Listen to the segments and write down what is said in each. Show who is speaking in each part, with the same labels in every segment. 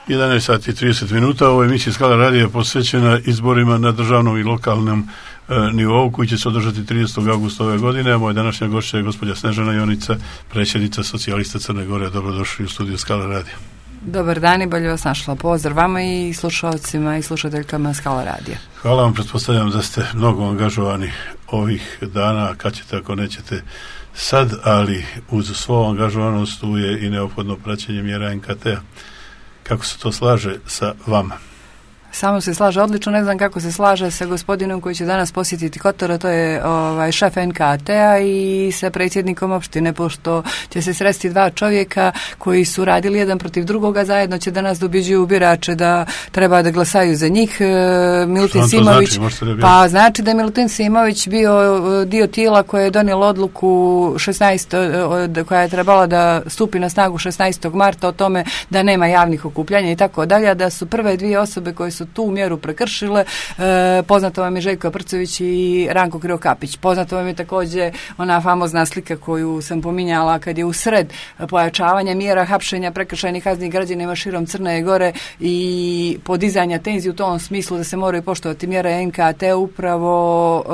Speaker 1: 11 sati i 30 minuta. Ovo je emisija Skala radija posvećena izborima na državnom i lokalnom nivou koji će se održati 30. augusta ove godine. A moja današnja gošća je gospođa Snežana Jonica, predsjednica Socijalista Crne Gore. Dobrodošli u studiju Skala radija.
Speaker 2: Dobar dan i bolje vas našla. Pozdrav vama i slušalcima i slušateljkama Skala radija.
Speaker 1: Hvala vam, pretpostavljam da ste mnogo angažovani ovih dana, kad ćete ako nećete sad, ali uz svoju angažovanost tu je i neophodno praćenje mjera NKT-a. Kako se to slaže sa vama?
Speaker 2: Samo se slaže odlično, ne znam kako se slaže sa gospodinom koji će danas posjetiti Kotor, to je šef NKT-a i sa predsjednikom opštine, pošto će se sresti dva čovjeka koji su radili jedan protiv drugoga, zajedno će danas dobjeđuju birače da treba da glasaju za njih. Milutin Simović,
Speaker 1: znači?
Speaker 2: Pa znači da je Milutin Simović bio dio tijela koje je donijelo odluku 16, koja je trebala da stupi na snagu 16. marta o tome da nema javnih okupljanja i tako dalje, da su prve dvije osobe koje su tu mjeru prekršile. Poznato vam je Željko Prcović i Ranko Krivokapić. Poznato vam je također ona famozna slika koju sam pominjala kad je usred pojačavanja mjera hapšenja prekršajnih kaznih građanima širom Crne Gore i podizanja tenzije u tom smislu da se moraju poštovati mjere NKT, upravo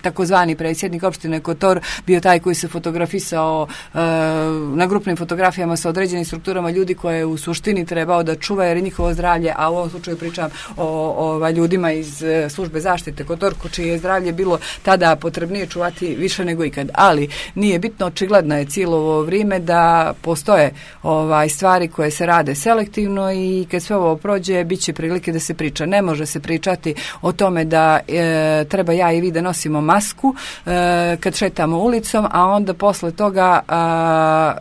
Speaker 2: takozvani predsjednik opštine Kotor bio taj koji se fotografisao na grupnim fotografijama sa određenim strukturama ljudi koje je u suštini trebao da čuva jer je njihovo zdravlje, a u ovom slučaju pričam o ljudima iz službe zaštite Kotorko, čije je zdravlje bilo tada potrebnije čuvati više nego ikad. Ali nije bitno, očigledno je cijelo ovo vrijeme da postoje stvari koje se rade selektivno i kad sve ovo prođe bit će prilike da se priča. Ne može se pričati o tome da treba ja i vi da nosimo masku kad šetamo ulicom, a onda posle toga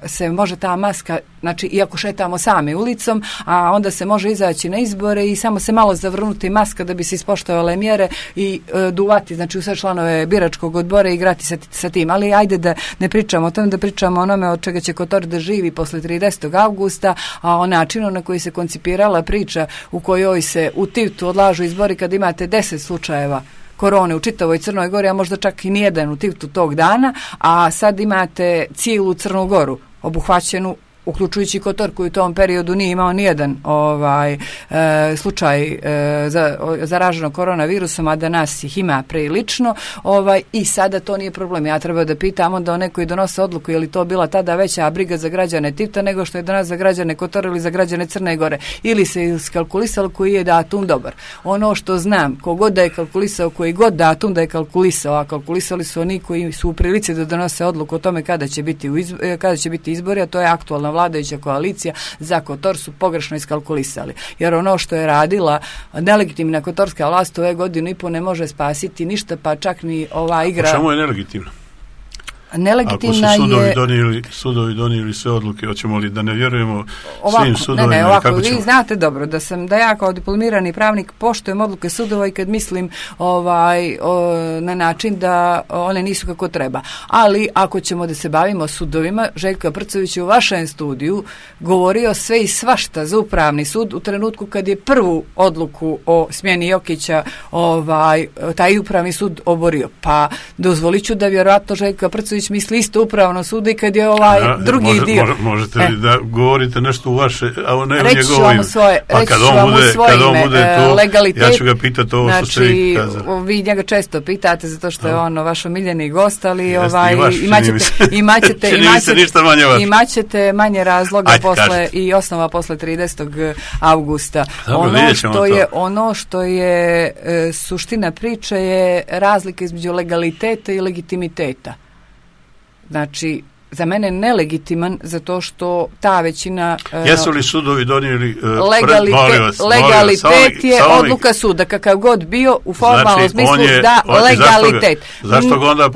Speaker 2: se može ta maska, znači iako šetamo sami ulicom, a onda se može izaći na izbore i samo se malo zavrnuti maska da bi se ispoštovale mjere i duvati, znači u sve članove biračkog odbora i igrati sa tim. Ali ajde da ne pričamo o tome, da pričamo o onome od čega će Kotor da živi posle 30. augusta, a o načinu na koji se koncipirala priča u kojoj se u Tivtu odlažu izbori kad imate 10 slučajeva korone u čitavoj Crnoj Gori, a možda čak i nijedan u Tivtu tog dana, a sad imate cijelu Crnu Goru obuhvaćenu, uključujući Kotor koji u tom periodu nije imao nijedan slučaj zaraženog koronavirusom, a da nas ih ima prilično, i sada to nije problem. Ja treba da pitam onda one koji donose odluku je li to bila tada veća briga za građane Tivta nego što je danas za građane Kotora ili za građane Crne Gore, ili se iskalkulisalo koji je datum dobar. Ono što znam, kogod da je kalkulisao, koji god datum da je kalkulisao, a kalkulisali su oni koji su u prilici da donose odluku o tome kada će biti izbori, a to je aktualna vladajuća koalicija za Kotor, su pogrešno iskalkulisali. Jer ono što je radila nelegitimna kotorska vlast ove godinu i po ne može spasiti ništa, pa čak ni ova igra.
Speaker 1: A čemu je nelegitimna?
Speaker 2: Nelegitimna
Speaker 1: ako su sudovi donijeli sve odluke, hoćemo li da ne vjerujemo svim sudovima?
Speaker 2: Ne, ovako, vi znate dobro da ja kao diplomirani pravnik poštujem odluke sudova i kad mislim na način da one nisu kako treba. Ali ako ćemo da se bavimo sudovima, Željko Prcović je u vašem studiju govorio sve i svašta za upravni sud u trenutku kad je prvu odluku o smjeni Jokića taj upravni sud oborio. Pa dozvolit ću da vjerojatno Željko Prcović misli isto upravno sudu i kad je drugi dio.
Speaker 1: Možete li da govorite nešto u vaše, a ne u
Speaker 2: njegovo ime?
Speaker 1: Pa kad on bude tu, legalitet, ja ću ga pitati ovo što ste vi kazali.
Speaker 2: Vi njega često pitate zato što je on vaš omiljeni gost, ali imaćete manje razloga i osnova posle 30. augusta. Ono što je suština priče je razlika između legaliteta i legitimiteta. Znači, za mene nelegitiman zato što ta većina...
Speaker 1: Jesu li sudovi donijeli...
Speaker 2: legalitet je odluka suda, kakav god bio u formalnom smislu legalitet.
Speaker 1: Zašto ga onda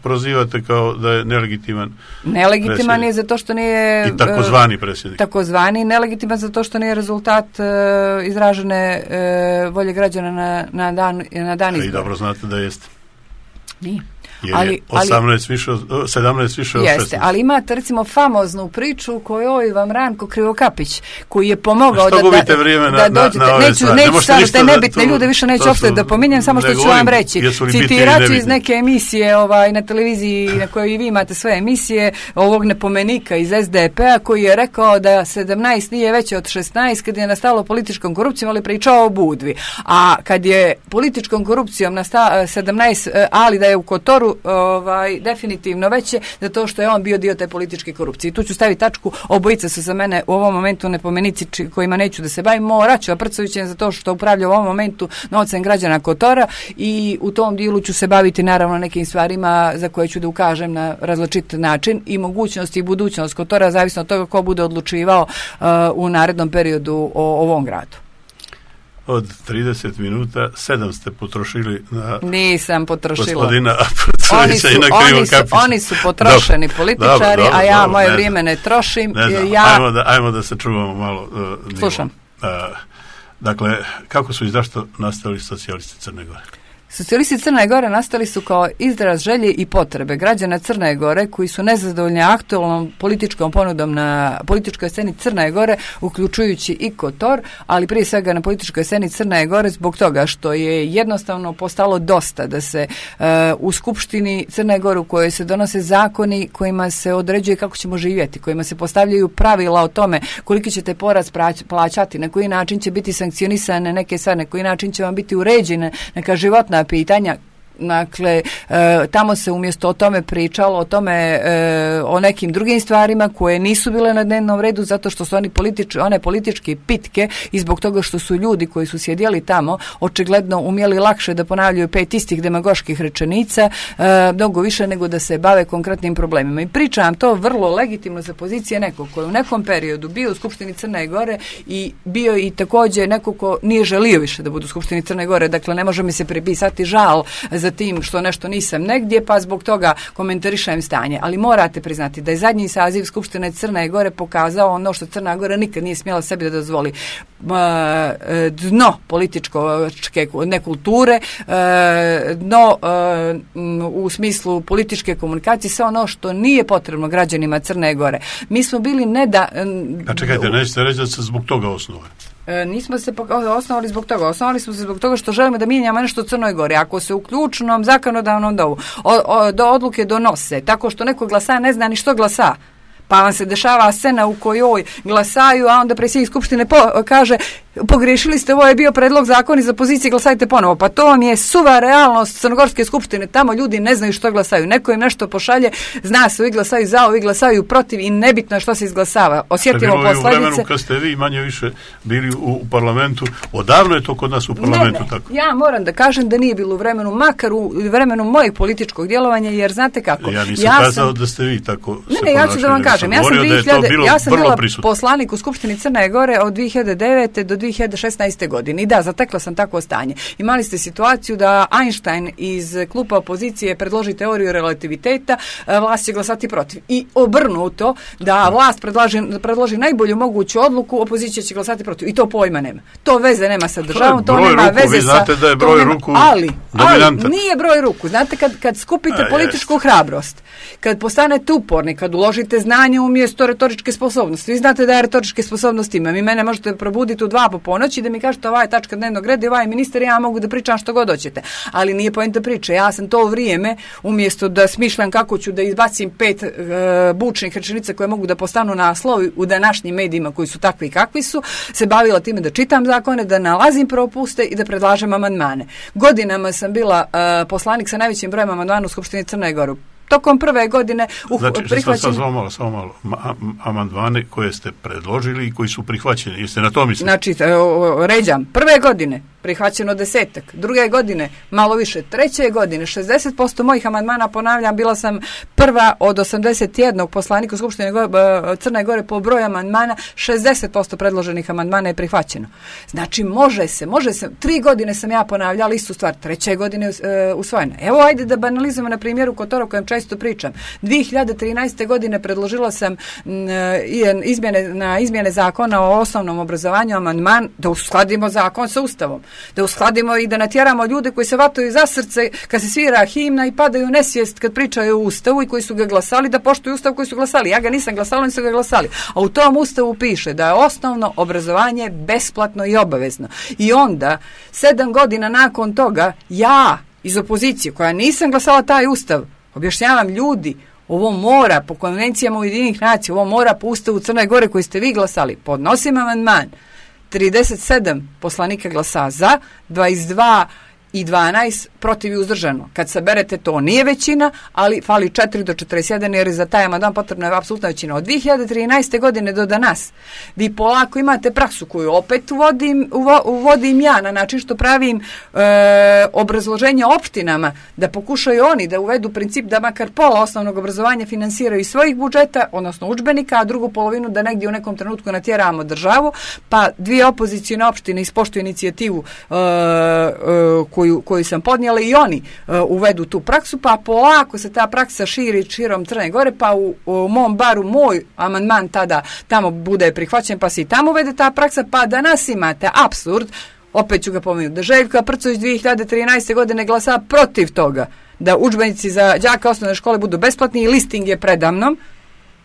Speaker 1: prozivate kao da je nelegitiman?
Speaker 2: Nelegitiman je zato što nije...
Speaker 1: I takozvani predsjednik.
Speaker 2: Takozvani nelegitiman zato što nije rezultat izražene volje građana na dan izbora.
Speaker 1: I dobro znate da jeste.
Speaker 2: Nije.
Speaker 1: jer je 17 više od 16.
Speaker 2: Jeste, ali imate recimo famoznu priču kojoj vam Ranko Krivokapić, koji je pomogao da dođete. Neću stvarno te nebitne ljude više neću uopšte da pominjem, samo što ću vam reći. Citirat ću iz neke emisije na televiziji na kojoj i vi imate sve emisije, ovog nepomenika iz SDP-a koji je rekao da 17 nije veće od 16 kad je nastalo političkom korupcijom, ali pričao o Budvi. A kad je političkom korupcijom nastalo 17, ali da je u Kotoru definitivno veće, zato što je on bio dio te političke korupcije. I tu ću staviti tačku, obojica su za mene u ovom momentu nepomenici kojima neću da se bavim. Moraću, a Prcović za to što upravlja u ovom momentu novcem građana Kotora i u tom dijelu ću se baviti naravno nekim stvarima za koje ću da ukažem na različit način i mogućnost i budućnost Kotora, zavisno od toga ko bude odlučivao u narednom periodu o ovom gradu.
Speaker 1: Od 30 minuta 7 ste potrošili na
Speaker 2: Nisam potrošila.
Speaker 1: Gospodina Prcovića i na Krivokapića.
Speaker 2: Oni su potrošeni političari, a ja moje vrijeme ne trošim.
Speaker 1: Ne znam, ajmo da se čuvamo malo.
Speaker 2: Slušam.
Speaker 1: Dakle, kako su i zašto nastali socijalisti Crne Gore?
Speaker 2: Socijalisti Crne Gore nastali su kao izraz želje i potrebe građana Crne Gore koji su nezadovoljni aktualnom političkom ponudom na političkoj sceni Crne Gore, uključujući i Kotor, ali prije svega na političkoj sceni Crne Gore zbog toga što je jednostavno postalo dosta da se u Skupštini Crne Gore u kojoj se donose zakoni kojima se određuje kako ćemo živjeti, kojima se postavljaju pravila o tome koliki ćete porast plaćati, na koji način će biti sankcionisane neke stvari, na koji način će vam biti uređene neka životna pitanja. Dakle, tamo se umjesto o tome pričalo, o nekim drugim stvarima koje nisu bile na dnevnom redu zato što su one političke pitke i zbog toga što su ljudi koji su sjedjeli tamo očigledno umjeli lakše da ponavljaju 5 istih demagoških rečenica, mnogo više nego da se bave konkretnim problemima. I pričam to vrlo legitimno za pozicije nekog koji je u nekom periodu bio u Skupštini Crne Gore i bio i također neko ko nije želio više da bude u Skupštini Crne Gore. Dakle, ne može mi se pripisati žal za tim što nešto nisam negdje, pa zbog toga komentarišem stanje. Ali morate priznati da je zadnji saziv Skupštine Crne Gore pokazao ono što Crna Gora nikad nije smjela sebi da dozvoli. Dno političke nekulture, dno u smislu političke komunikacije, sve ono što nije potrebno građanima Crne Gore. Mi smo bili
Speaker 1: A čekajte, nećete reći da se zbog toga osnovali?
Speaker 2: Nismo se osnovali zbog toga. Osnovali smo se zbog toga što želimo da mijenjamo nešto u Crnoj Gori. Ako se u ključnom zakonodavnom do odluke donose tako što neko glasa ne zna ni što glasa, pa vam se dešava scena u kojoj glasaju, a onda predsjednik Skupštine kaže pogriješili ste, ovo je bio predlog zakona za pozicije, glasajte ponovo. Pa to vam je suva realnost Crnogorske skupštine. Tamo ljudi ne znaju što glasaju. Neko im nešto pošalje, zna se, ovi glasaju za, ovi glasaju protiv i nebitno je što se izglasava. Osjetimo posljedice.
Speaker 1: U vremenu kad ste vi manje više bili u parlamentu, odavno je to kod nas u parlamentu tako?
Speaker 2: Ja moram da kažem da nije bilo u vremenu, makar u vremenu mojeg političkog djelovanja, jer znate kako.
Speaker 1: Ja nisam kazao da ste vi tako se ponašali.
Speaker 2: Ja ću da vam kažem. Ja sam bila poslanik u Skupštini Crne Gore od 2009. do 2016. godine. I da, zatekla sam takvo stanje. Imali ste situaciju da Einstein iz klupa opozicije predloži teoriju relativiteta, vlast će glasati protiv. I obrnuto, da vlast predloži najbolju moguću odluku, opozicija će glasati protiv. I to pojma nema. To veze nema sa državom, to nema veze sa... Vi
Speaker 1: znate da je broj ruku
Speaker 2: dominantan. Ali nije broj ruku. Znate, kad skupite političku hrabrost, kad postanete uporni, kad uložite znanje umjesto retoričke sposobnosti. Vi znate da ja retoričke sposobnosti imam. I mene možete probuditi u 2 po ponoći da mi kažete ova je tačka dnevnog reda i ovaj ministar, ja mogu da pričam što god hoćete. Ali nije poenta priče. Ja sam to vrijeme, umjesto da smišljam kako ću da izbacim 5 bučnih rečenica koje mogu da postanu naslov u današnjim medijima koji su takvi i kakvi su, se bavila time da čitam zakone, da nalazim propuste i da predlažem amandmane. Godinama sam bila poslanik sa najvećim brojem amandmana u Skupštini Crne Gore. Tokom prve godine
Speaker 1: prihvaćeni... Samo malo. Amandmane koje ste predložili i koji su prihvaćeni. Jeste na to mislili?
Speaker 2: Znači, ređam. Prve godine prihvaćeno 10, druge godine malo više, treće godine 60% mojih amandmana, ponavljam, bila sam prva od 81 poslanika u Skupštini Crne Gore po broju amandmana, 60% predloženih amandmana je prihvaćeno. Znači, može se. 3 godine sam ja ponavljala istu stvar, treće godine usvojena. Evo, ajde da banalizujemo na primjeru Kotora o kojem često pričam. 2013. godine predložila sam izmjene zakona o osnovnom obrazovanju, amandman da uskladimo zakon sa Ustavom. Da uskladimo i da natjeramo ljude koji se vataju za srce kad se svira himna i padaju nesvijest kad pričaju o Ustavu i koji su ga glasali, da poštuju Ustav koji su glasali. Ja ga nisam glasala, oni su ga glasali. A u tom Ustavu piše da je osnovno obrazovanje besplatno i obavezno. I onda, 7 godina nakon toga, ja iz opozicije, koja nisam glasala taj Ustav, objašnjavam ljudi, ovo mora po konvencijama Ujedinjenih nacija, ovo mora po Ustavu Crne Gore koji ste vi glasali. Podnosim amandman. 37 poslanika glasa za, 22 i 12 protiv i uzdržano. Kad saberete, to nije većina, ali fali 4 do 41 jer za taj amandman potrebna je apsolutna većina. Od 2013. godine do danas vi polako imate praksu koju opet uvodim ja na način što pravim obrazloženja opštinama da pokušaju oni da uvedu princip da makar pola osnovnog obrazovanja finansiraju iz svojih budžeta, odnosno udžbenika, a drugu polovinu da negdje u nekom trenutku natjeramo državu, pa 2 opozicijne opštine ispoštuju inicijativu koju sam podnijela i oni uvedu tu praksu, pa polako se ta praksa širi širom Crne Gore, pa u mom baru moj amandman tada tamo bude prihvaćen, pa se i tamo uvede ta praksa, pa danas imate apsurd, opet ću ga pomenuti, da Željko Prcović 2013. godine glasa protiv toga da udžbenici za đaka osnovne škole budu besplatni i listing je predamnom,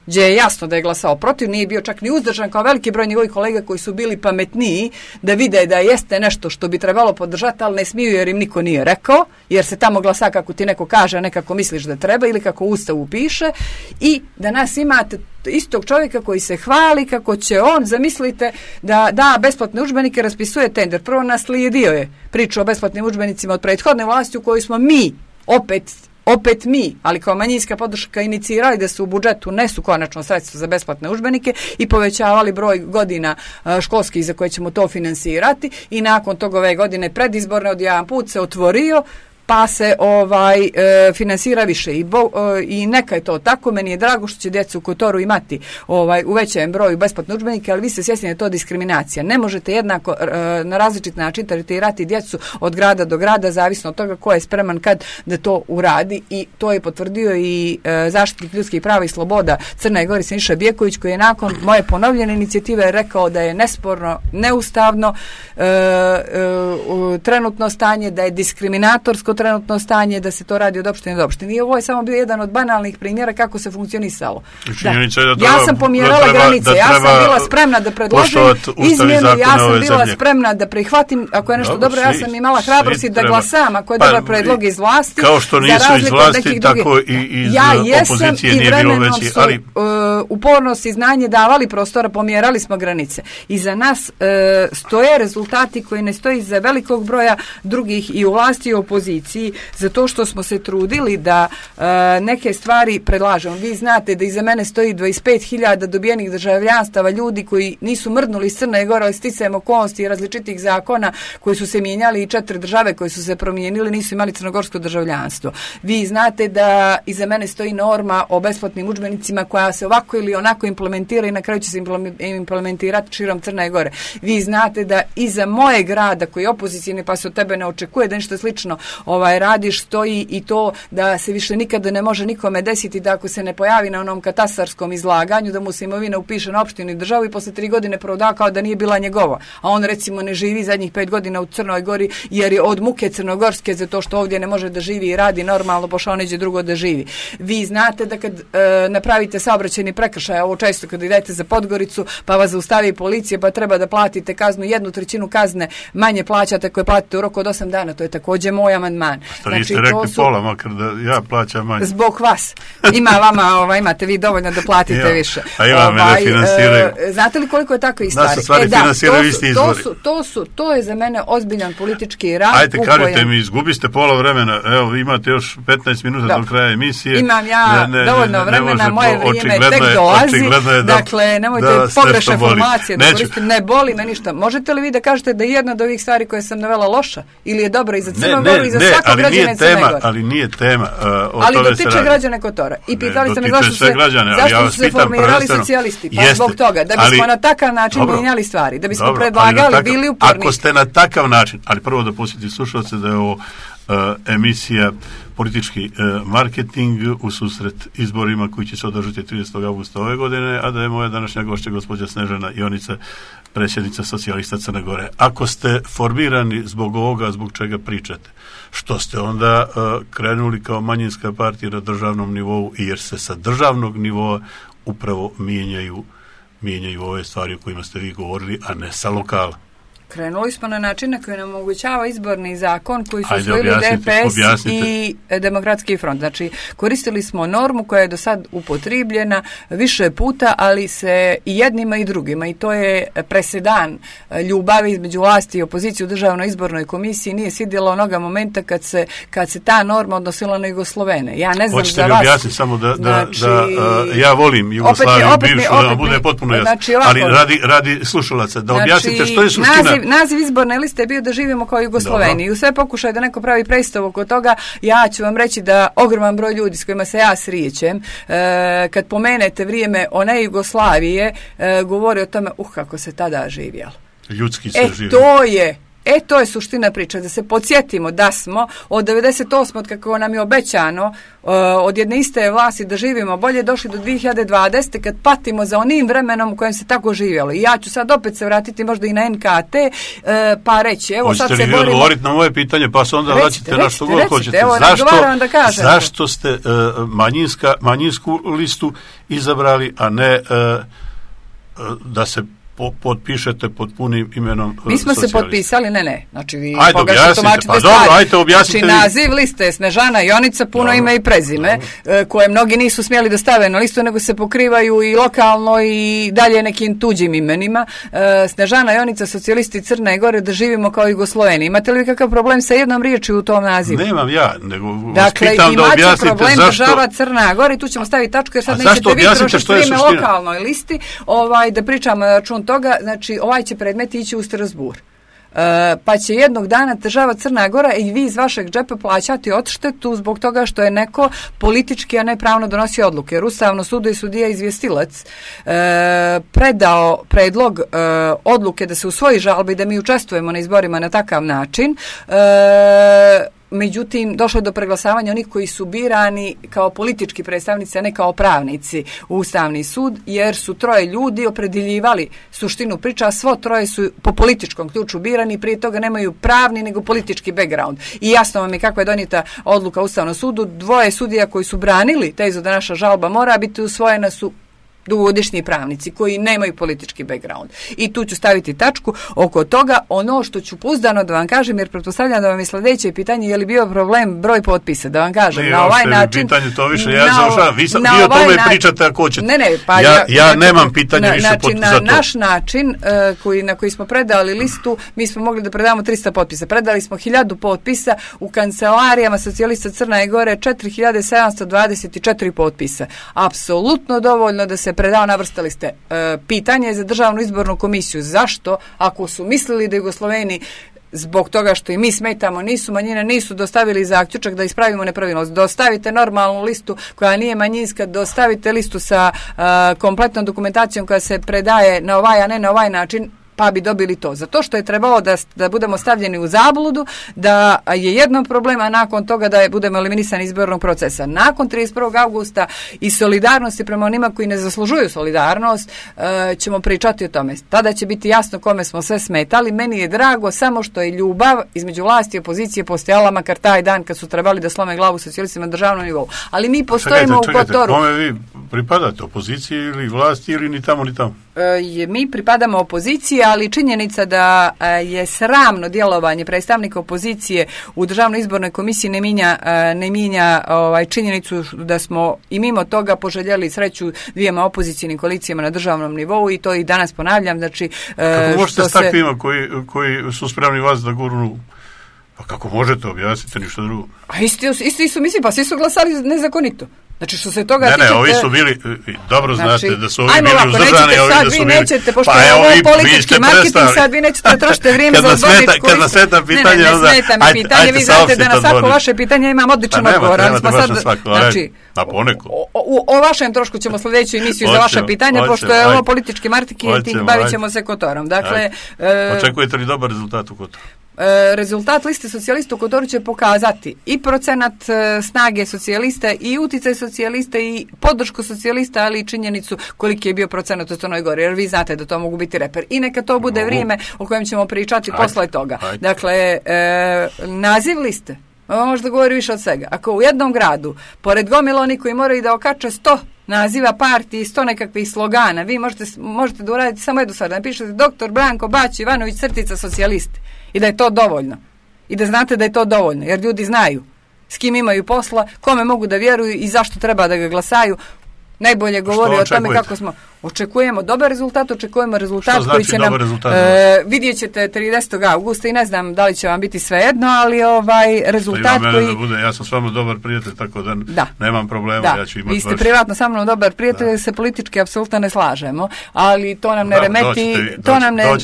Speaker 2: gdje je jasno da je glasao protiv, nije bio čak ni uzdržan kao veliki broj njegovih kolega koji su bili pametniji da vide da jeste nešto što bi trebalo podržati, ali ne smiju jer im niko nije rekao, jer se tamo glasa kako ti neko kaže, a ne kako misliš da treba ili kako u Ustavu piše, i da nas imate istog čovjeka koji se hvali kako će on, zamislite, da da besplatne udžbenike, raspisuje tender. Prvo naslijedio je priču o besplatnim udžbenicima od prethodne vlasti u kojoj smo mi opet mi, ali kao manjinska podrška inicirali da se u budžetu nesu konačno sredstva za besplatne udžbenike i povećavali broj godina školskih za koje ćemo to finansirati i nakon toga ove godine predizborne od jedan put se otvorio pa se finansira više i neka je to tako. Meni je drago što će djeca u Kotoru imati u većem broju besplatne udžbenike, ali vi ste svjesni da je to diskriminacija. Ne možete jednako na različit način tretirati djecu od grada do grada, zavisno od toga ko je spreman kad da to uradi, i to je potvrdio i zaštitnik ljudskih prava i sloboda Crne Gore Siniša Bjeković, koji je nakon moje ponovljene inicijative rekao da je nesporno, neustavno trenutno stanje, da je diskriminatorsko trenutno stanje, da se to radi od opštine do opštine. I ovo je samo bio jedan od banalnih primjera kako se funkcionisalo. Ja sam pomjerala granice, ja sam bila spremna da predložim izmjene, ja sam bila spremna da prihvatim, ako je nešto dobro, ja sam imala hrabrosti da glasam, ako je dobar predlog iz vlasti.
Speaker 1: Kao što nisu iz vlasti, tako i iz opozicije nije bilo veći. Ali
Speaker 2: upornost i znanje davali prostora, pomjerali smo granice. I za nas stoje rezultati koji ne stoji za velikog broja drugih i u vlasti i u opoziciji, zato što smo se trudili da neke stvari predlažemo. Vi znate da iza mene stoji 25.000 dobijenih državljanstava, ljudi koji nisu mrdnuli iz Crne Gore, ali sticajem okolnosti i različitih zakona koji su se mijenjali i 4 države koje su se promijenili nisu imali crnogorsko državljanstvo. Vi znate da iza mene stoji norma o besplatnim udžbenicima koja se ovako ili onako implementira i na kraju će se implementirati širom Crne Gore. Vi znate da iza mojeg grada koji je opozicijni, pa se od tebe ne očekuje da nešto slično radiš, stoji i to da se više nikada ne može nikome desiti da ako se ne pojavi na onom katastarskom izlaganju da mu se imovina upiše na opštinu i državu i posle 3 godine proda kao da nije bila njegova. A on recimo ne živi zadnjih 5 godina u Crnoj Gori jer je od muke crnogorske zato što ovdje ne može da živi i radi normalno, pošao neđe drugo da živi. Vi znate da kad napravite saobraćajni prekršaj, ovo često kad idete za Podgoricu pa vas zaustavi policija pa treba da platite kaznu, 1/3 kazne manje plaćate koje platite u roku od 8 dana, to je također moj amandman.
Speaker 1: Što niste rekli pola, makar da ja plaćam manje.
Speaker 2: Zbog vas. Ima vama, imate vi dovoljno da platite više.
Speaker 1: A ima me da finansiraju.
Speaker 2: Znate li koliko je takve stvari?
Speaker 1: Nas u stvari finansiraju isti izvori.
Speaker 2: To je za mene ozbiljan politički rad.
Speaker 1: Ajde, kažite mi, izgubiste pola vremena, evo, imate još 15 minuta do kraja emisije.
Speaker 2: Imam ja dovoljno vremena, moje vrijeme tek dolazi. Dakle, nemojte pogrešne formacije da koristite. Ne boli me ništa. Možete li vi da kažete da je jedna od ovih stvari koje sam navela loša ili je dobra i za Crnu Goru i za svakog građana Crne Gore?
Speaker 1: Ali nije tema.
Speaker 2: Ali dotiče građane Kotora. I pitali ste me zašto su se formirali socijalisti. Pa zbog toga, da bismo na takav način mijenjali stvari, da bismo predlagali, bili uporni.
Speaker 1: Ako ste na takav način, ali prvo da posjetite slušalce da je ovo emisija politički marketing u susret izborima koji će se održati 30. augusta ove godine, a da je moja današnja gošća gospođa Snežana Jonica, predsjednica socijalista Crne Gore. Ako ste formirani zbog ovoga, zbog čega pričate, što ste onda krenuli kao manjinska partija na državnom nivou, jer se sa državnog nivoa upravo mijenjaju ove stvari o kojima ste vi govorili, a ne sa lokala.
Speaker 2: Krenuli smo na način na koji nam omogućava izborni zakon koji su usvojili DPS i Demokratski front. Znači, koristili smo normu koja je do sad upotrijebljena više puta, ali se i jednima i drugima, i to je presedan ljubavi između vlasti i opozicije u državnoj izbornoj komisiji. Nije sidjelo onoga momenta kad se ta norma odnosila na Jugoslovene. Ja ne znam
Speaker 1: hoćete
Speaker 2: za vas.
Speaker 1: Hoćete li objasniti samo da ja volim Jugoslaviju bivšu, da vam bude potpuno jasno.
Speaker 2: Znači,
Speaker 1: ali radi slušalaca, da objasnite što je suština.
Speaker 2: Naziv izborne liste je bio da živimo kao Jugosloveni. I u sve pokušaj da neko pravi predstavu oko toga, ja ću vam reći da ogroman broj ljudi s kojima se ja srijećem, kad pomenete vrijeme one Jugoslavije, govori o tome, kako se tada živjelo.
Speaker 1: Ljudski se živjelo.
Speaker 2: To je suština priče, da se podsjetimo da smo od 98. kako nam je obećano od jedne iste vlasti da živimo bolje, došli do 2020. kad patimo za onim vremenom u kojem se tako živjelo. I ja ću sad opet se vratiti možda i na NKT, pa reći, evo sad se borimo.
Speaker 1: Hoćete li odgovoriti na moje pitanje, pa se onda vraćate na što god hoćete.
Speaker 2: Evo,
Speaker 1: zašto ste manjinsku listu izabrali, a ne da se potpišete pod punim imenom
Speaker 2: mi smo se potpisali, ne. Znači, vi
Speaker 1: objasnite.
Speaker 2: Znači, naziv liste je Snežana Jonica, puno ime i prezime, koje mnogi nisu smjeli da stave na listu, nego se pokrivaju i lokalno i dalje nekim tuđim imenima. Snežana Jonica, socijalisti Crne Gore, da živimo kao Jugosloveni. Imate li kakav problem sa jednom riječju u tom nazivu?
Speaker 1: Nemam ja, nego
Speaker 2: dakle,
Speaker 1: pitam da objasnite zašto.
Speaker 2: Problem država Crna Gore, tu ćemo staviti tačku, jer sad nećete vi trošiti vrijeme lokalnoj listi, da pričamo na račun toga. Znači, ovaj će predmet ići u Strasbourg. Pa će jednog dana država Crna Gora i vi iz vašeg džepa plaćati odštetu zbog toga što je neko politički, a ne pravno donosi odluke. Jer Ustavno sudu i sudija izvjestilac predao predlog odluke da se usvoji žalba i da mi učestvujemo na izborima na takav način. Međutim, došlo je do preglasavanja onih koji su birani kao politički predstavnici, a ne kao pravnici u Ustavni sud, jer su troje ljudi opredjeljivali suštinu priča, a svo troje su po političkom ključu birani, prije toga nemaju pravni nego politički background. I jasno vam je kako je donijeta odluka Ustavnom sudu. Dvoje sudija koji su branili tezu da naša žalba mora biti usvojena su dugogodišnji pravnici koji nemaju politički background. I tu ću staviti tačku oko toga. Ono što ću pouzdano da vam kažem, jer pretpostavljam da vam je sljedeće pitanje, je li bio problem broj potpisa, da vam kažem. Na ovaj način...
Speaker 1: Pitanje to više, ja završavam. Vi o tome pričate ako hoćete.
Speaker 2: Pa
Speaker 1: ja nemam pitanja više za to.
Speaker 2: Na naš način, na koji smo predali listu, mi smo mogli da predamo 300 potpisa. Predali smo 1000 potpisa, u kancelarijama socijalista Crne Gore 4724 potpisa. Apsolutno dovoljno da se predao, navrstali ste. Pitanje je za državnu izbornu komisiju. Zašto, ako su mislili da Jugosloveni zbog toga što i mi smetamo, nisu manjine, nisu dostavili zaključak da ispravimo nepravilnost. Dostavite normalnu listu koja nije manjinska, dostavite listu sa kompletnom dokumentacijom koja se predaje na ovaj, a ne na ovaj način, pa bi dobili to. Zato što je trebalo da budemo stavljeni u zabludu, da je jedno problem, a nakon toga da budemo eliminisani izbornog procesa. Nakon 31. augusta i solidarnosti prema onima koji ne zaslužuju solidarnost, ćemo pričati o tome. Tada će biti jasno kome smo sve smetali. Meni je drago samo što je ljubav između vlasti i opozicije postojala makar taj dan kad su trebali da slome glavu socijalistima na državnom nivou. Ali mi postojimo u Kotoru.
Speaker 1: Kome vi pripadate, opoziciji ili vlasti ili ni tamo ni tamo?
Speaker 2: Mi pripadamo opoziciji, ali činjenica da je sramno djelovanje predstavnika opozicije u državnoj izbornoj komisiji ne mijenja činjenicu da smo i mimo toga poželjeli sreću dvijema opozicijnim koalicijama na državnom nivou i to i danas ponavljam. Znači,
Speaker 1: kako možete s takvima koji su spremni vas da gurnu? Pa kako možete objasniti ništa drugo?
Speaker 2: A isti su, mislim, pa svi su glasali nezakonito. Znači, što se toga tiče...
Speaker 1: Ne, ovi su bili, dobro znate, da su ovi bili uzdržani, a ovi da su bili...
Speaker 2: Nećete, pošto je ovo politički marketing, sad vi nećete trošiti vrijeme za odborničku...
Speaker 1: Kad nas smeta pitanje,
Speaker 2: onda... Ne smeta mi pitanje, vi znate da na svako vaše pitanje imam odličan odgovor.
Speaker 1: Nemate baš na svako, a poneko.
Speaker 2: O vašem trošku ćemo sljedeću emisiju za vaše pitanje, pošto je ovo politički marketing, bavit ćemo se Kotorom. Dakle...
Speaker 1: Očekujete li dobar rezultat u Kotoru?
Speaker 2: rezultat liste socijalista u Kotoru će pokazati i procenat snage socijalista i uticaj socijalista i podršku socijalista, ali i činjenicu koliki je bio procenat u Crnoj Gori, jer vi znate da to mogu biti reper. I neka to bude vrijeme o kojem ćemo pričati posle toga. Dakle, naziv liste može da govori više od svega. Ako u jednom gradu, pored gomila oni koji moraju da okače 100 naziva partije i 100 nekakvih slogana, vi možete da uradite samo jednu stvar, da napišete Dr. Branko Bać Ivanović crtica socijalisti i da je to dovoljno. I da znate da je to dovoljno, jer ljudi znaju s kim imaju posla, kome mogu da vjeruju i zašto treba da ga glasaju. Najbolje govori o tome kako smo... Očekujemo dobar rezultat, očekujemo rezultat koji će nam... vidjet ćete 30. augusta i ne znam da li će vam biti svejedno, ali rezultat koji...
Speaker 1: Ja sam s vama dobar prijatelj, tako da nemam problema. Ja ću imati
Speaker 2: vi ste privatno sa mnom dobar prijatelj, se politički apsolutno ne slažemo, ali to nam ne remeti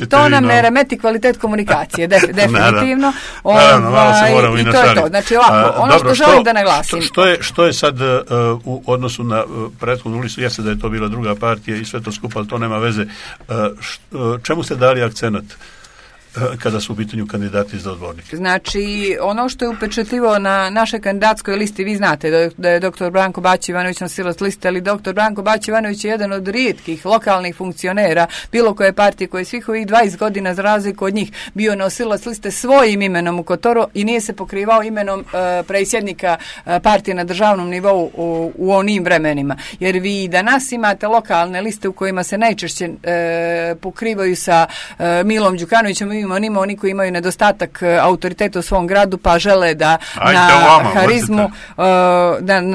Speaker 2: to nam ne remeti kvalitet komunikacije, definitivno. I to je to. Znači ovako, ono što želim da naglasim.
Speaker 1: Što je sad u odnosu na prethodnu listu, jeste da je to bila druga partija i sve to skupa, ali to nema veze. Čemu ste dali akcenat kada su u pitanju kandidati za odbornike?
Speaker 2: Znači, ono što je upečatljivo na našoj kandidatskoj listi, vi znate da je dr. Branko Bać Ivanović nosilac liste, ali dr. Branko Bać Ivanović je jedan od rijetkih lokalnih funkcionera bilo koje partije koji svih ovih 20 godina za razliku od njih bio nosilac liste svojim imenom u Kotoru i nije se pokrivao imenom predsjednika partije na državnom nivou u onim vremenima. Jer vi danas imate lokalne liste u kojima se najčešće pokrivaju sa Milom Đukanovićem, oni koji imaju nedostatak autoriteta u svom gradu pa žele da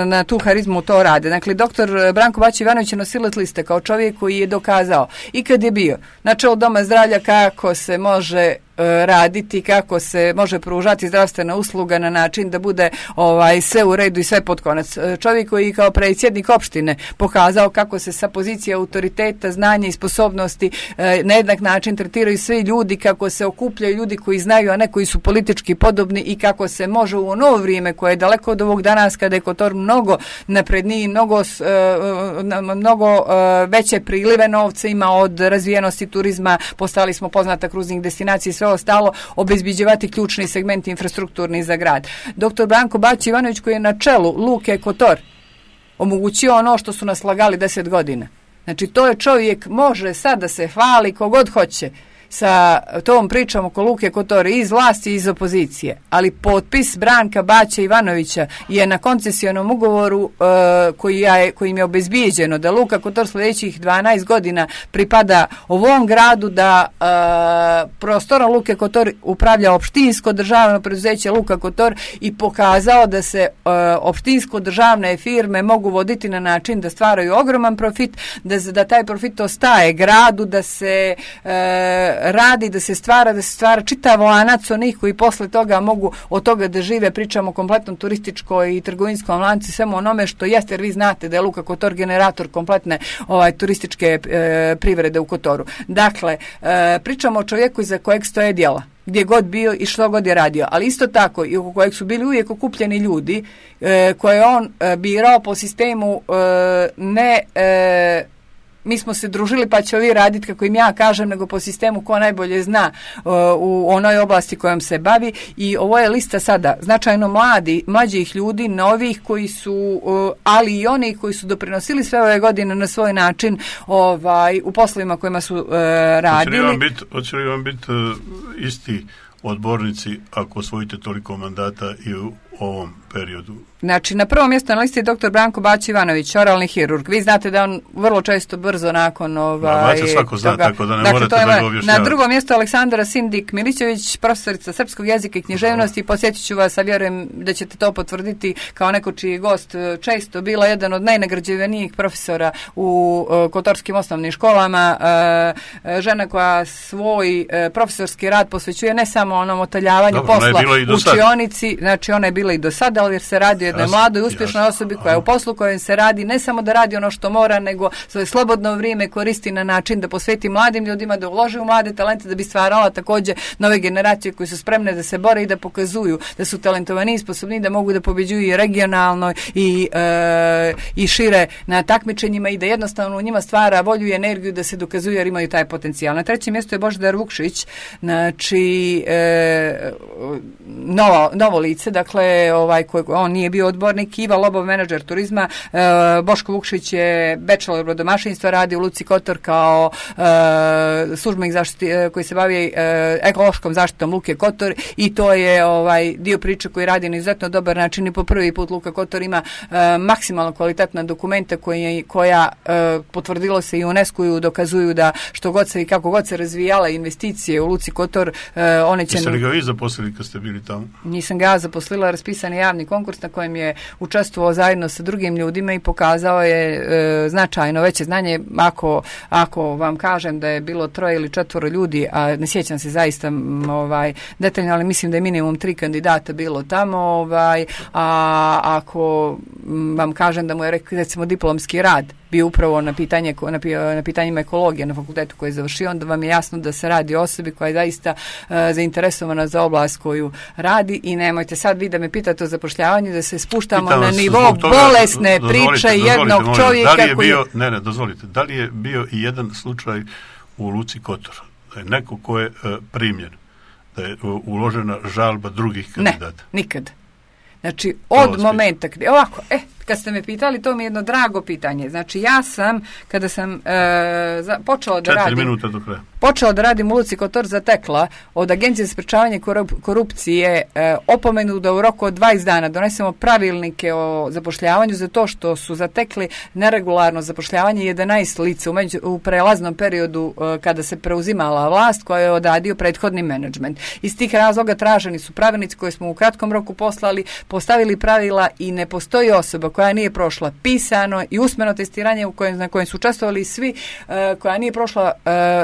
Speaker 2: na tu harizmu to rade. Dakle, dr. Branko Bać Ivanović je nosilac liste kao čovjek koji je dokazao i kad je bio na čelu Doma zdravlja kako se može raditi, kako se može pružati zdravstvena usluga na način da bude sve u redu i sve pod konac. Čovjek koji kao predsjednik opštine pokazao kako se sa pozicije autoriteta, znanja i sposobnosti na jednak način tretiraju svi ljudi, kako se okupljaju ljudi koji znaju, a ne koji su politički podobni i kako se može u novo vrijeme koje je daleko od ovog danas kada je Kotor mnogo napredniji, mnogo veće prilive novca ima od razvijenosti turizma, postali smo poznata kruznih destinacija i sve ostalo, obezbiđivati ključni segmenti infrastrukturni za grad. Dr. Branko Bać Ivanović koji je na čelu Luke Kotor omogućio ono što su nas lagali 10 godina. Znači to je čovjek, može sad da se hvali kogod hoće sa tom pričom oko Luke Kotor iz vlasti i iz opozicije, ali potpis Branka Baća Ivanovića je na koncesionom ugovoru kojim je obezbijeđeno da Luka Kotor sljedećih 12 godina pripada ovom gradu, da prostorom Luke Kotor upravlja opštinsko državno preduzeće Luka Kotor i pokazao da se opštinsko državne firme mogu voditi na način da stvaraju ogroman profit, da taj profit ostaje gradu, da se radi, da se stvara čitav lanac onih koji posle toga mogu od toga da žive. Pričamo o kompletnom turističkoj i trgovinskom lancu, svemu onome što jeste, jer vi znate da je Luka Kotor generator kompletne turističke privrede u Kotoru. Dakle, pričamo o čovjeku iza kojeg stoje djela, gdje god bio i što god je radio, ali isto tako i oko kojeg su bili uvijek okupljeni ljudi koje je on birao po sistemu mi smo se družili pa će ovi raditi kako im ja kažem, nego po sistemu ko najbolje zna u onoj oblasti kojom se bavi. I ovo je lista sada značajno mlađih ljudi, novih koji su, ali i oni koji su doprinosili sve ove godine na svoj način u poslovima kojima su radili.
Speaker 1: Hoće li vam biti isti odbornici ako osvojite toliko mandata i u ovom periodu?
Speaker 2: Znači, na prvom mjestu na listi je dr. Branko Bać Ivanović, oralni hirurg. Vi znate da on vrlo često brzo nakon
Speaker 1: svako zna, tako da ne morate da ga objašnjavati.
Speaker 2: Na drugom mjestu Aleksandra Sindik Milićević, profesorica srpskog jezika i književnosti. Posjetit ću vas, a vjerujem da ćete to potvrditi kao neko čiji gost često bila jedan od najnagrađivanijih profesora u kotorskim osnovnim školama. Žena koja svoj profesorski rad posvećuje ne samo onom otaljavanju posla u učionici, znači ona je bila bila i do sada, ali jer se radi o jednoj mladoj, uspješnoj osobi koja je u poslu kojem se radi, ne samo da radi ono što mora, nego svoje slobodno vrijeme koristi na način da posveti mladim ljudima, da uloži u mlade talente, da bi stvarala također nove generacije koji su spremne da se bore i da pokazuju da su talentovani i sposobni, da mogu da pobeđuju i regionalno i šire na takmičenjima i da jednostavno u njima stvara volju i energiju da se dokazuju jer imaju taj potencijal. Na trećem mjestu je Božidar Vukšić, znači novo lice, dakle on nije bio odbornik, Iva Lobov, menadžer turizma, Boško Vukšić je bachelor brodomašinstva, radi u Luci Kotor kao službenik koji se bavi ekološkom zaštitom Luke Kotor i to je dio priče koji radi na izuzetno dobar način i po prvi put Luka Kotor ima maksimalno kvalitetna dokumenta koja potvrdilo se i UNESCO-u dokazuju da što god se i kako god se razvijala investicije u Luci Kotor, one će...
Speaker 1: Jeste li ga vi zaposlili kad ste bili tamo?
Speaker 2: Nisam ga zaposlila, raspisan je javni konkurs na kojem je učestvovao zajedno sa drugim ljudima i pokazao je značajno veće znanje. Ako vam kažem da je bilo 3 ili 4 ljudi, a ne sjećam se zaista detaljno, ali mislim da je minimum 3 kandidata bilo tamo, a ako vam kažem da mu je recimo diplomski rad bio upravo na pitanjima ekologije na fakultetu koji je završio, onda vam je jasno da se radi o osobi koja je zaista zainteresovana za oblast koju radi i nemojte sad vi da me pitate o zapošljavanju, da se spuštamo na nivo bolesne priče jednog čovjeka
Speaker 1: dozvolite, da li je bio i jedan slučaj u Luci Kotor, da je neko ko je primljen, da je uložena žalba drugih kandidata?
Speaker 2: Ne, nikad. Znači, od momenta, ovako, kad ste me pitali, to mi je jedno drago pitanje. Znači, ja sam, kada sam počela da radim...
Speaker 1: 4 minuta do kraja.
Speaker 2: Počela da radim u Luci Kotor, zatekla od Agencije za sprečavanje korupcije opomenu da u roku od 20 dana donesemo pravilnike o zapošljavanju za to što su zatekli neregularno zapošljavanje 11 lica u prelaznom periodu kada se preuzimala vlast koja je odradio prethodni menadžment. Iz tih razloga traženi su pravilnici koje smo u kratkom roku postavili pravila i ne postoji osoba koja nije prošla pisano i usmeno testiranje na kojem su učestvovali svi, koja nije prošla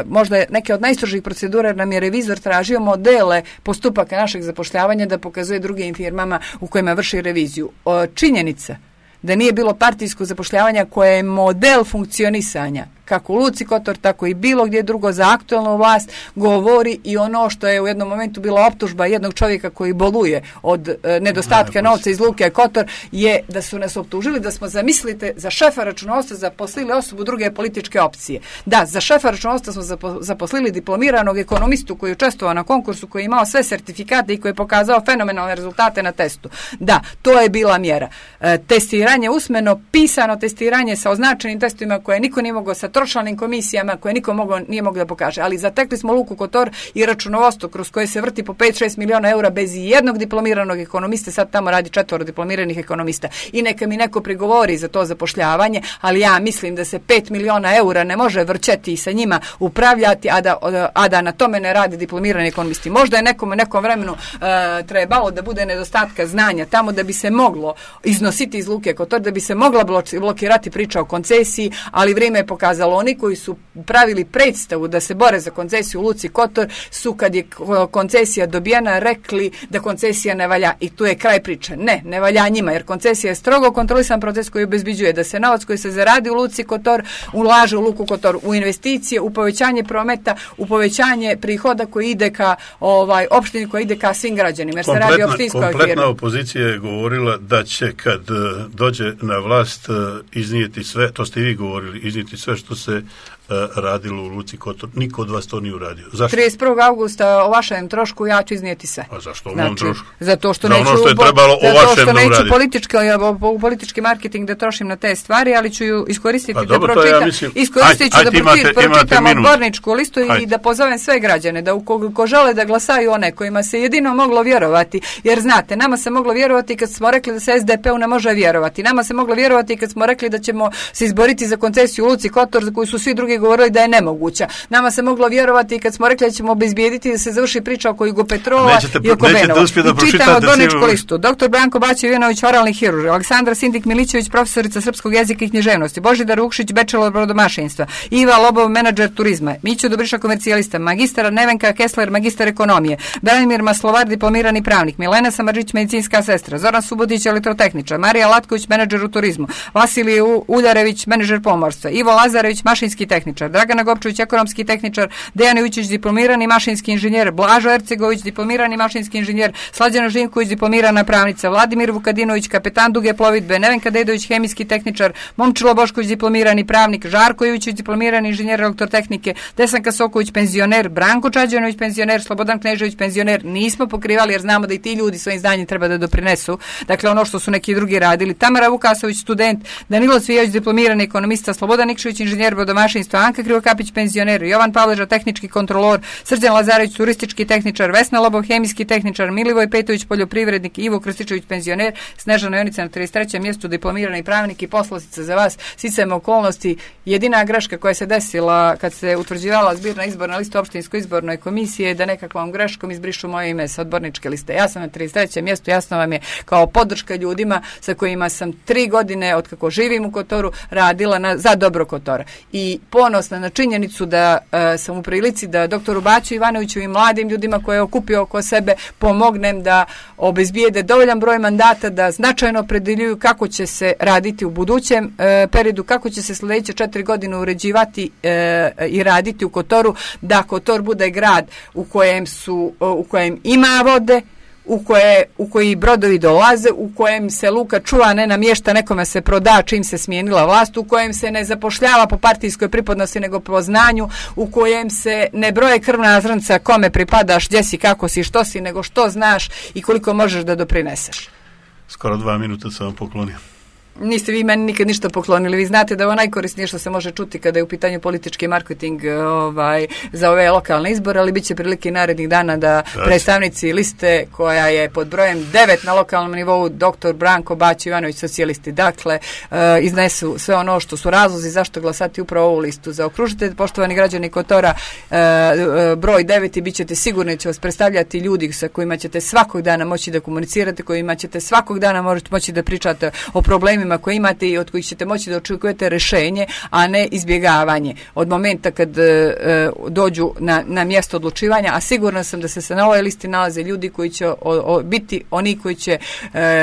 Speaker 2: možda neke od najstrožih procedura, nam je revizor tražio modele postupaka našeg zapošljavanja da pokazuje drugim firmama u kojima vrši reviziju. Činjenica da nije bilo partijsko zapošljavanja koje je model funkcionisanja kako u Luci Kotor, tako i bilo gdje drugo za aktualnu vlast, govori i ono što je u jednom momentu bila optužba jednog čovjeka koji boluje od nedostatka novca iz Luke Kotor, je da su nas optužili da smo, zamislite, za šefa računovodstva zaposlili osobu druge političke opcije. Da, za šefa računovodstva smo zaposlili diplomiranog ekonomistu koji je učestvovao na konkursu, koji je imao sve sertifikate i koji je pokazao fenomenalne rezultate na testu. Da, to je bila mjera. Testiranje usmeno, pisano testiranje sa označenim testovima koje niko nije mogao sa tročlanim komisijama koje niko nije mogao da pokaže. Ali zatekli smo Luku Kotor i računovodstvo kroz koje se vrti po 5-6 miliona eura bez jednog diplomiranog ekonomiste. Sad tamo radi 4 diplomiranih ekonomista. I neka mi neko prigovori za to zapošljavanje, ali ja mislim da se 5 miliona eura ne može vrćeti i sa njima upravljati, a da na tome ne radi diplomirani ekonomisti. Možda je nekom vremenu trebalo da bude nedostatka znanja tamo da bi se moglo iznositi iz Luke Kotor, da bi se mogla blokirati priča o koncesiji, ali vrijeme je pokazalo. Oni koji su pravili predstavu da se bore za koncesiju u Luci Kotor su, kad je koncesija dobijena, rekli da koncesija ne valja i tu je kraj priče. Ne valja njima, jer koncesija je strogo kontrolisan proces koji obezbeđuje da se novac koji se zaradi u Luci Kotor ulaže u Luku Kotor, u investicije, u povećanje prometa, u povećanje prihoda koji ide ka opštini, koji ide ka svim građanima, jer se radi o opštinskoj firmi.
Speaker 1: Kompletna opozicija je govorila da će kad dođe na vlast iznijeti sve, to ste i vi govorili, iznijeti sve što se radilo u Luci Kotor. Niko od vas to nije uradio. Zašto?
Speaker 2: 31. augusta o vašem trošku ja ću iznijeti sve.
Speaker 1: A zašto o mom trošku?
Speaker 2: Zato što
Speaker 1: neću, ono što je trebalo o vašem da uradim.
Speaker 2: Politički marketing da trošim na te stvari, ali ću ju iskoristiti
Speaker 1: da
Speaker 2: pročitam odborničku listu i da pozovem sve građane da ukoliko žele da glasaju one kojima se jedino moglo vjerovati, jer znate, nama se moglo vjerovati kad smo rekli da se SDP-u ne može vjerovati. Nama se moglo vjerovati kad smo rekli da ćemo se izboriti za koncesiju u Luci Kotor za koju su svi drugi mi govorili da je nemoguća. Nama se moglo vjerovati kad smo rekli da ćemo obezbijediti da se završi priča oko Jugopetrova i oko Benova. I čitamo Dvorničku listu. Dr. Branko Bačev-Ivanović, oralni hirurg, Aleksandra Sindik-Milićević, profesorica srpskog jezika i književnosti, Božidar Vukšić, bachelor brodomašinstva, Iva Lobov, menadžer turizma, Mićo Dobriša, komercijalista, magistar Nevenka Kessler, magistar ekonomije, Branimir Maslovar, diplomirani pravnik, Milena Samardžić, medicinska sestra, Zoran Subotić, elektrotehničar, Marija Latković, menadžer u turizmu, Vasilij Uljarević, menadžer pomorstva, Ivo Lazarević, mašinski tehničar, Dragana Gopčević, ekonomski tehničar, Dejan Ujčić, diplomirani mašinski inženjer, Blažo Ercegović, diplomirani mašinski inženjer, Slađana Živković, diplomirana pravnica, Vladimir Vukadinović, kapetan duge plovidbe, Nevenka Dedović, hemijski tehničar, Momčilo Bošković, diplomirani pravnik, Žarko Jović, diplomirani inženjer elektrotehnike, Desanka Soković, penzioner, Branko Čađanović, penzioner, Slobodan Knežević, penzioner. Nismo pokrivali jer znamo da i ti ljudi svojim znanjem treba da doprinesu. Dakle, ono što su neki drugi radili. Tamara Vukasović, student, Danilo Cvijović, diplomirani ekonomista, Slobodan Nikšević, inženjer brodomašinstva, Anka Krivokapić, penzioner, Jovan Pavleža, tehnički kontrolor, Srđan Lazarević, turistički tehničar, Vesna Lobov, hemijski tehničar, Milivoj Petović, poljoprivrednik, Ivo Krstičević, penzioner, Snežana Jonica na 33. mjestu, diplomirani pravnik. I poslastica za vas, sticajem okolnosti, jedina greška koja se desila kad se utvrđivala zbirna izborna lista opštinskoj izbornoj komisije, da nekakvom greškom izbrišu moje ime sa odborničke liste. Ja sam na 33. mjestu, jasno vam je, kao podrška ljudima sa kojima sam 3 godine od kako živim u Kotoru radila za dobro Kotora. I ponosna na činjenicu da sam u prilici da doktoru Baću Ivanoviću i mladim ljudima koje je okupio oko sebe pomognem da obezbijede dovoljan broj mandata, da značajno opredeljuju kako će se raditi u budućem periodu, kako će se sljedeće 4 godine uređivati i raditi u Kotoru, da Kotor bude grad u kojem ima vode, u koji brodovi dolaze, u kojem se luka čuva, ne namješta, nekome se proda čim se smijenila vlast, u kojem se ne zapošljava po partijskoj pripadnosti nego po znanju, u kojem se ne broje krvna zrnca kome pripadaš, gdje si, kako si, što si, nego što znaš i koliko možeš da doprineseš.
Speaker 1: Skoro 2 minuta sam vam poklonio.
Speaker 2: Niste vi meni nikad ništa poklonili. Vi znate da je ovo najkorisnije što se može čuti kada je u pitanju politički marketing za ove lokalne izbore, ali bit će prilike narednih dana da predstavnici liste koja je pod brojem 9 na lokalnom nivou, dr. Branko Bačev-Ivanović, socijalisti, dakle, iznesu sve ono što su razlozi zašto glasati upravo ovu listu. Zaokružite, poštovani građani Kotora, broj 9 i bit ćete sigurni, će vas predstavljati ljudi sa kojima ćete svakog dana moći da komunicirate, kojima ćete svakog dana moći da pričate o problemima koje imate i od kojih ćete moći da očekujete rješenje, a ne izbjegavanje. Od momenta kad dođu na mjesto odlučivanja, a sigurna sam da se na ovoj listi nalaze ljudi koji će biti oni koji će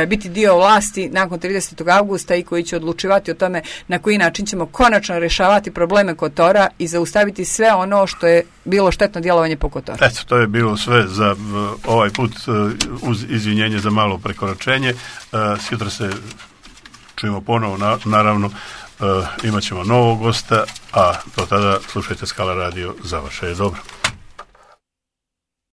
Speaker 2: biti dio vlasti nakon 30. augusta i koji će odlučivati o tome na koji način ćemo konačno rješavati probleme Kotora i zaustaviti sve ono što je bilo štetno djelovanje po Kotoru.
Speaker 1: Eto, to je bilo sve za ovaj put, uz izvinjenje za malo prekoračenje. Sutra se čujemo ponovo, naravno, imat ćemo novog gosta, a do tada slušajte Skala radio, za vaše je dobro.